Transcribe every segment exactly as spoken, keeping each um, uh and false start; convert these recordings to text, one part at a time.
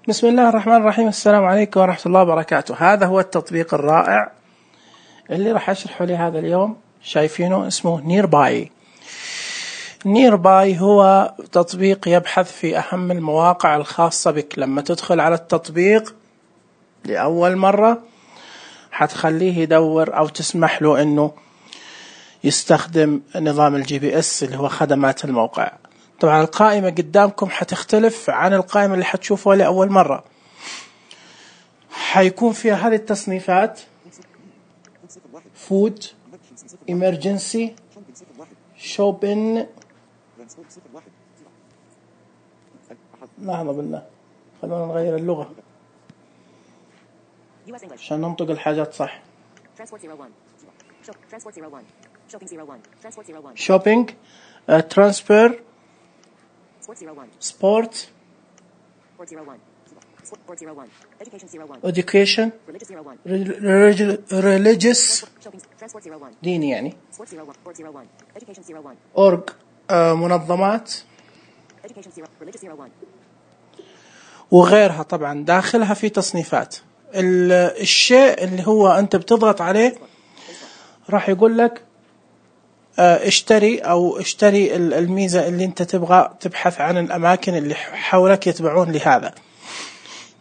بسم الله الرحمن الرحيم. السلام عليكم ورحمة الله وبركاته. هذا هو التطبيق الرائع اللي راح أشرحه لي هذا اليوم. شايفينه اسمه نيرباي. نيرباي هو تطبيق يبحث في أهم المواقع الخاصة بك. لما تدخل على التطبيق لأول مرة حتخليه يدور أو تسمح له أنه يستخدم نظام الجي بي اس اللي هو خدمات الموقع. طبعا القائمة قدامكم حتختلف عن القائمة اللي حتشوفوها لأول مرة. حيكون فيها هذه التصنيفات: فود، إمرجنسي، شوبين. لحظة بالله، خلونا نغير اللغة عشان ننطق الحاجات صح. شوبينج، ترانسفير، سبورت، education، religious ديني يعني، org منظمات وغيرها. طبعا داخلها في تصنيفات. الشيء اللي هو أنت بتضغط عليه راح يقول لك اشتري أو اشتري الميزة اللي أنت تبغى تبحث عن الأماكن اللي حولك يتبعون لهذا.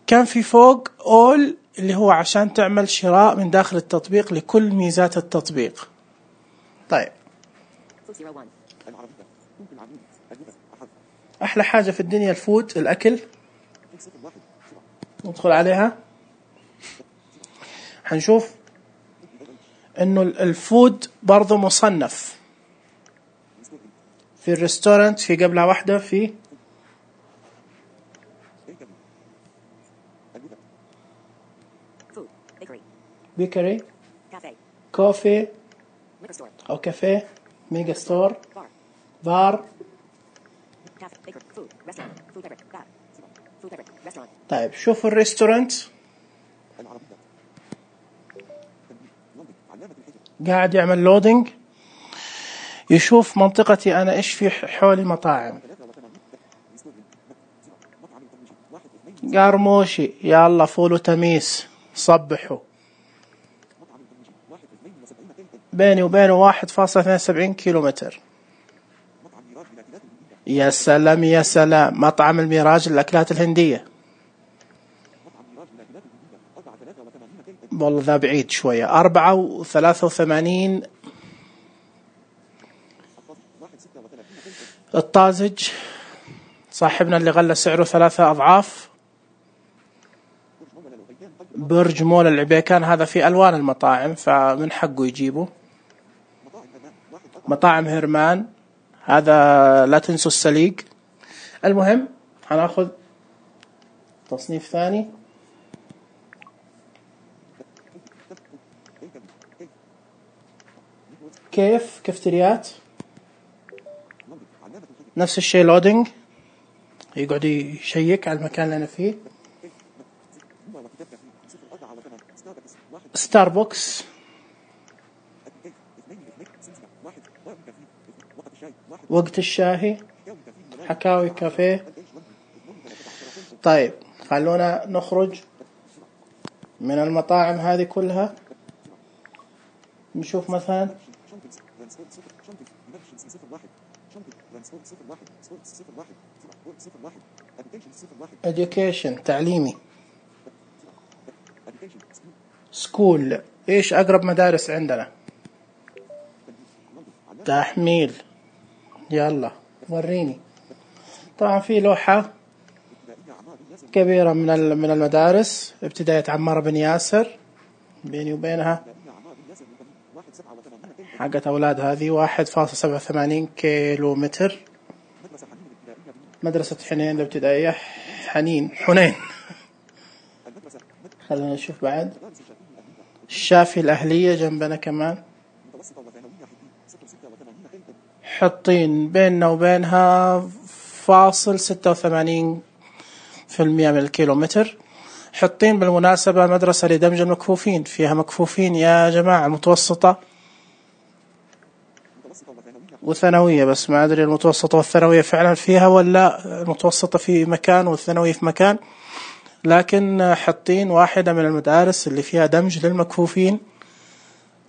كان في فوق all اللي هو عشان تعمل شراء من داخل التطبيق لكل ميزات التطبيق. طيب، أحلى حاجة في الدنيا الفود، الأكل. ندخل عليها حنشوف إنه الفود برضو مصنف في الريستورانت، في قبلها واحدة في بيكري، كوفي أو كافيه، ميجا ستور، بار. طيب شوفوا الريستورانت قاعد يعمل لودينج، يشوف منطقتي أنا إيش في حولي مطاعم. قرموشي، يلا فول وتميس، صبحوا. بيني وبينه واحد فاصلة اثنين وسبعين كيلو متر. يا سلام يا سلام. مطعم الميراج للأكلات الهندية، والله ذا بعيد شوية. أربعة وثلاثة وثمانين. الطازج صاحبنا اللي غلى سعره ثلاثة أضعاف. برج مول العبيكان، هذا في ألوان المطاعم فمن حقه يجيبه. مطاعم هرمان، هذا لا تنسوا السليق. المهم هناخذ تصنيف ثاني. كيف كافتريات، نفس الشيء. لودينج، يقعد يشيك على المكان اللي أنا فيه. ستاربكس، وقت الشاهي، حكاوي كافيه. طيب خلونا نخرج من المطاعم هذه كلها، نشوف مثلا education تعليمي. سكول، ايش اقرب مدارس عندنا. تحميل، يلا وريني. طبعا في لوحة كبيرة من من المدارس، ابتدائية عمار بن ياسر، بيني وبينها حقت أولاد هذه واحد فاصلة سبعة وثمانين كيلو متر. مدرسة حنين الابتدائية، حنين حنين. خلينا نشوف بعد. الشافي الأهلية جنبنا كمان، حطين بيننا وبينها فاصل ستة وثمانين في المئة من الكيلومتر. حطين بالمناسبة مدرسة لدمج المكفوفين، فيها مكفوفين يا جماعة، متوسطة وثانوية، بس ما أدري المتوسطة والثانوية فعلا فيها ولا المتوسطة في مكان والثانوية في مكان. لكن حاطين واحدة من المدارس اللي فيها دمج للمكفوفين،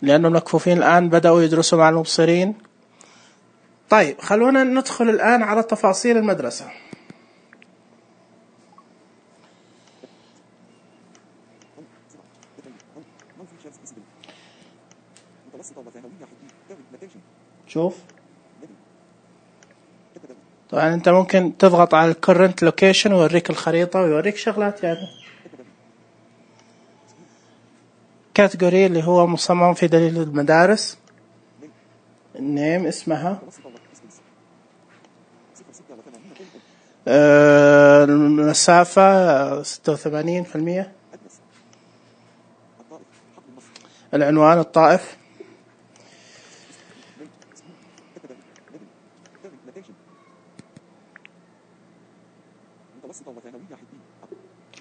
لأنه المكفوفين الآن بدأوا يدرسوا مع المبصرين. طيب خلونا ندخل الآن على تفاصيل المدرسة. شوف طبعا انت ممكن تضغط على الكرنت لوكيشن ويوريك الخريطة ويوريك شغلات يعني. كاتيجوري اللي هو مصمم في دليل المدارس. النيم اسمها. آه المسافة ستة وثمانين بالمية. العنوان الطائف.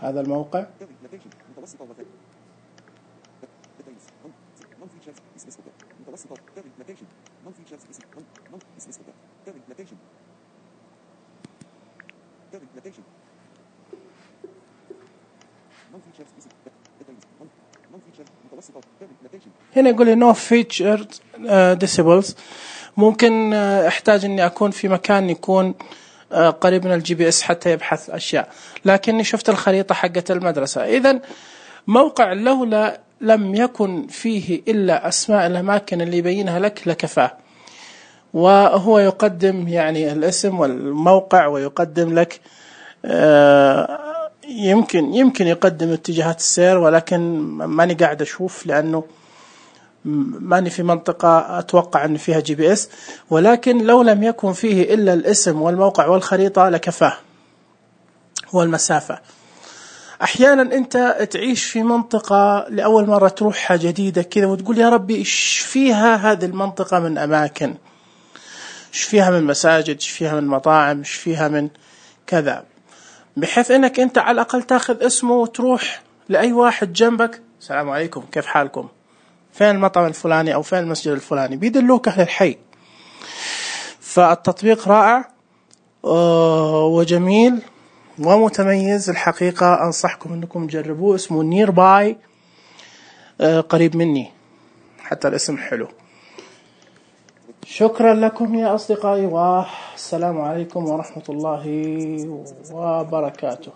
هذا الموقع. هنا يقول لي no featured decibels. ممكن احتاج اني اكون في مكان يكون قريب من الجي بي اس حتى يبحث اشياء، لكني شفت الخريطة حقة المدرسة. اذا موقع لولا لم يكن فيه الا اسماء الاماكن اللي يبينها لك لكفاه، وهو يقدم يعني الاسم والموقع ويقدم لك يمكن يمكن يقدم اتجاهات السير، ولكن ماني قاعد اشوف لانه ماني في منطقة أتوقع أن فيها جي بي إس، ولكن لو لم يكن فيه إلا الاسم والموقع والخريطة لكفاه والمسافة. أحيانا أنت تعيش في منطقة لأول مرة تروحها جديدة كذا وتقول يا ربي إيش فيها هذه المنطقة من أماكن، إيش فيها من مساجد، إيش فيها من مطاعم، إيش فيها من كذا، بحيث أنك أنت على الأقل تأخذ اسمه وتروح لأي واحد جنبك، السلام عليكم كيف حالكم، فين المطعم الفلاني أو فين المسجد الفلاني، بيدلوك أهل الحي. فالتطبيق رائع وجميل ومتميز الحقيقة، أنصحكم أنكم تجربوه. اسمه نير باي، قريب مني، حتى الاسم حلو. شكرا لكم يا أصدقائي، والسلام عليكم ورحمة الله وبركاته.